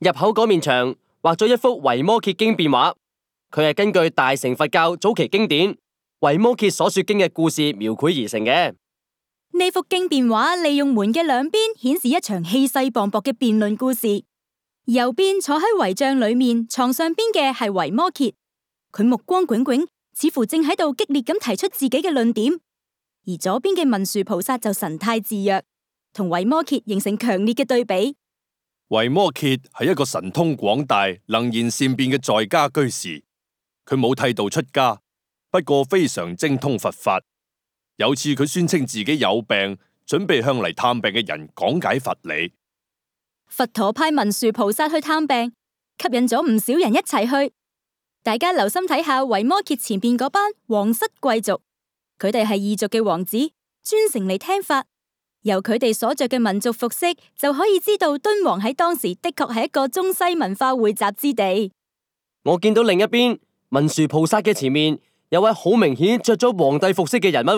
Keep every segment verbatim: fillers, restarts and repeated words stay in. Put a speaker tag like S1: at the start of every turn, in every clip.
S1: 入口嗰面牆畫咗一幅維摩詰經變畫，佢係根據大乘佛教早期經典維摩詰所說經嘅故事描繪而成嘅。
S2: 呢幅經變畫利用門嘅兩邊顯示一場氣勢磅礴嘅辯論故事。右邊坐喺遺像裏面床上邊嘅係維摩詰，佢目光炯炯，似乎正喺度激烈咁提出自己嘅論點。而左邊嘅文殊菩薩就神態自若，同維摩詰形成強烈嘅對比。
S3: 維摩詰係一個神通廣大、能言善辯嘅在家居士，佢冇剃度出家，不過非常精通佛法。有次佢宣稱自己有病，準備向嚟探病嘅人講解佛理。
S2: 佛陀派文殊菩薩去探病，吸引咗唔少人一齊去。大家留心睇下維摩詰前邊嗰班皇室貴族，佢哋係異族嘅王子，專程嚟聽法。由佢哋所着嘅民族服飾，就可以知道敦煌喺當時的確係一個中西文化匯集之地。
S1: 我見到另一邊文殊菩薩嘅前面有位好明顯着咗皇帝服飾嘅人物。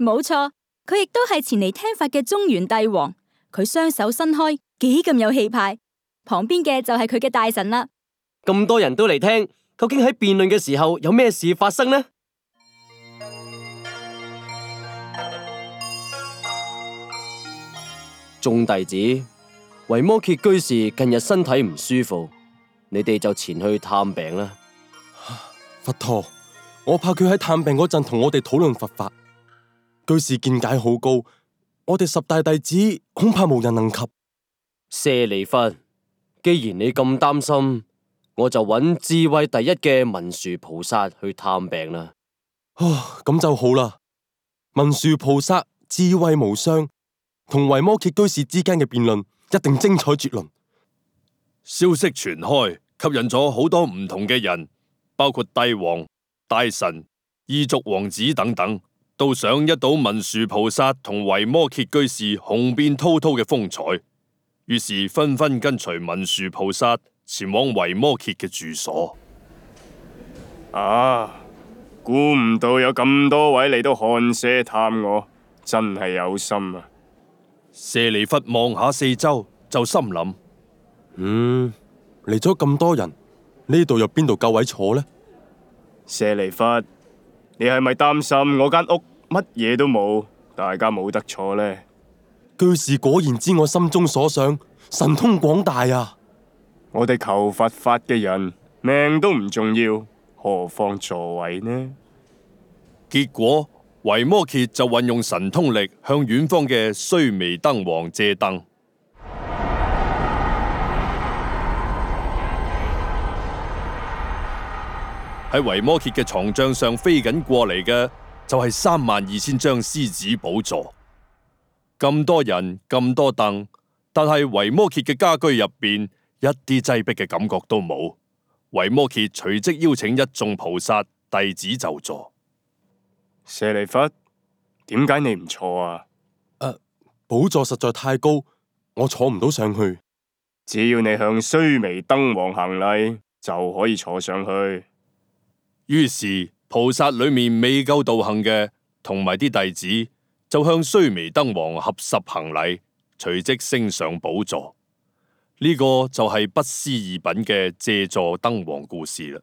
S2: 冇錯，佢亦都係前嚟聽法嘅中原帝王。佢雙手伸開，幾咁有氣派。旁邊嘅就係佢嘅大臣啦。
S1: 咁多人都嚟聽，究竟喺辯論嘅時候有咩事發生呢？眾弟子，維摩詰居士近日身體唔舒服，你哋就前去探病啦。
S4: 佛陀，我怕佢喺探病嗰陣同我哋討論佛法。居士見解好高，我哋十大弟子恐怕無人能及。
S1: 舍利弗，既然你咁擔心，我就揾智慧第一嘅文殊菩薩去探病啦。
S4: 哦，咁就好啦。文殊菩薩智慧無雙，同維摩詰居士之間嘅辯論一定精彩絕倫。
S3: 消息傳開，吸引咗好多唔同嘅人，包括帝王、大臣、異族王子等等，都想一睹文殊菩薩同維摩詰居士雄辯滔滔嘅風采，於是紛紛跟隨文殊菩薩前往維摩詰嘅住所。
S5: 啊！估唔到有咁多位嚟到寒舍探我，真係有心啊！
S3: 舍利弗望下四周，就心諗：
S4: 嗯，嚟咗咁多人，呢度有邊度夠位坐呢？
S5: 舍利弗，你係咪擔心我間屋乜嘢都冇，大家冇得坐呢？
S4: 居士果然知我心中所想，神通廣大啊！
S5: 我哋求佛法嘅人命都唔重要，何況座位呢？
S3: 結果維摩詰就運用神通力向遠方嘅須彌燈王借燈。喺維摩詰嘅床帳上飛緊過嚟嘅就係三萬二千張獅子寶座。咁多人咁多凳，但係維摩詰嘅家居入邊一啲擠迫嘅感覺都冇。維摩詰隨即邀請一眾菩薩弟子就座。
S5: 舍利弗，點解你唔坐啊？
S4: 誒、呃，寶座實在太高，我坐唔到上去。
S5: 只要你向須彌燈王行禮，就可以坐上去。
S3: 於是菩薩裏面未夠道行嘅，同埋啲弟子就向須彌燈王合十行禮，隨即升上寶座。呢、這個就係不思議品嘅借座燈王故事啦。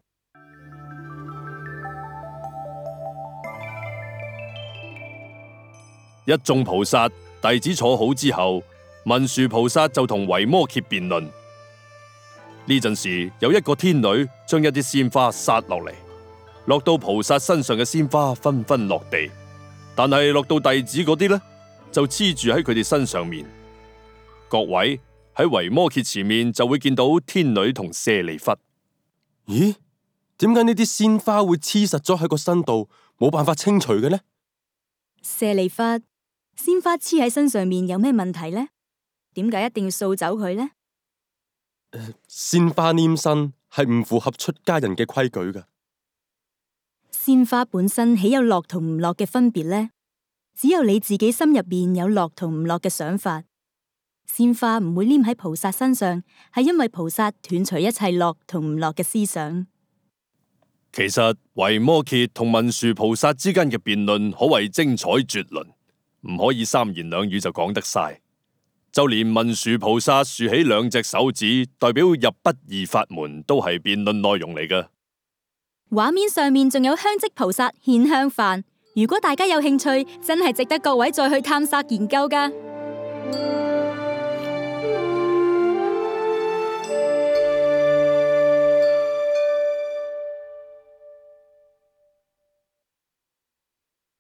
S3: 一眾菩薩弟子坐好之後，文殊菩薩就同維摩詰辯論。呢陣時，有一個天女將一啲鮮花撒落嚟，落到菩薩身上嘅鮮花紛紛落地，但係落到弟子嗰啲呢，就黐住喺佢哋身上面。各位喺維摩詰前面就會見到天女同舍利弗。
S4: 咦？點解呢啲鮮花會黐實咗喺個身度，冇辦法清除嘅呢？
S2: 舍利弗，鮮花黐喺身上面有咩問題呢？點解一定要掃走佢呢？
S4: 呃、鮮花黏身係唔符合出家人嘅規矩㗎。
S2: 鮮花本身豈有落同唔落嘅分別呢？只有你自己心入邊有落同唔落嘅想法。鮮花唔會黏喺菩薩身上，係因為菩薩斷除一切落同唔落嘅思想。
S3: 其實維摩詰同文殊菩薩之間嘅辯論可謂精彩絕倫，唔可以三言兩語就講得晒。就連文殊菩薩豎起兩隻手指，代表入不二法門，都係辯論內容嚟嘅。
S2: 畫面上面仲有香積菩薩獻香飯，如果大家有興趣，真係值得各位再去探索研究㗎。